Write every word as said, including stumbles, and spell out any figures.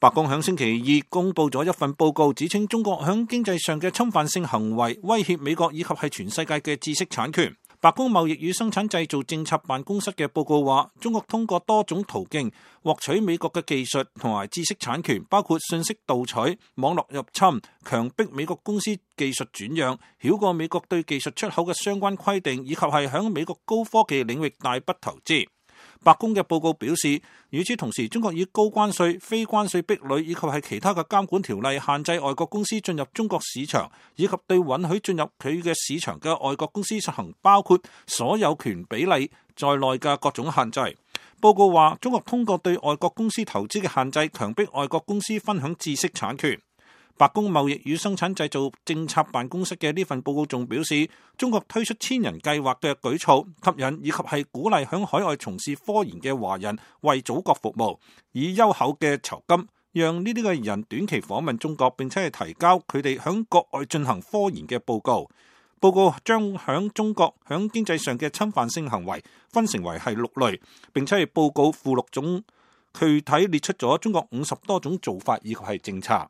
白宮響星期二公布咗一份報告，指稱中國響經濟上嘅侵犯性行為威脅美國以及係全世界嘅知識產權。白宮貿易與生產製造政策辦公室嘅報告話，中國通過多種途徑獲取美國嘅技術同埋知識產權，包括信息盜取、網絡入侵、強迫美國公司技術轉讓、繞過美國對技術出口嘅相關規定，以及係響美國高科技領域大筆投資。白宮嘅報告表示，與此同時，中國以高關稅、非關稅壁壘以及係其他嘅監管條例限制外國公司進入中國市場，以及對允許進入佢嘅市場嘅外國公司實行包括所有權比例在內嘅各種限制。報告話，中國通過對外國公司投資嘅限制，強迫外國公司分享知識產權。白宮貿易與生產製造政策辦公室嘅呢份報告仲表示，中國推出千人計劃嘅舉措，吸引以及係鼓勵響海外從事科研嘅華人為祖國服務，以優厚嘅酬金，讓呢啲嘅人短期訪問中國，並且係提交佢哋響國外進行科研嘅報告。報告將響中國響經濟上嘅侵犯性行為分成為係六類，並且係報告附錄中具體列出咗中國五十多種做法以及係政策。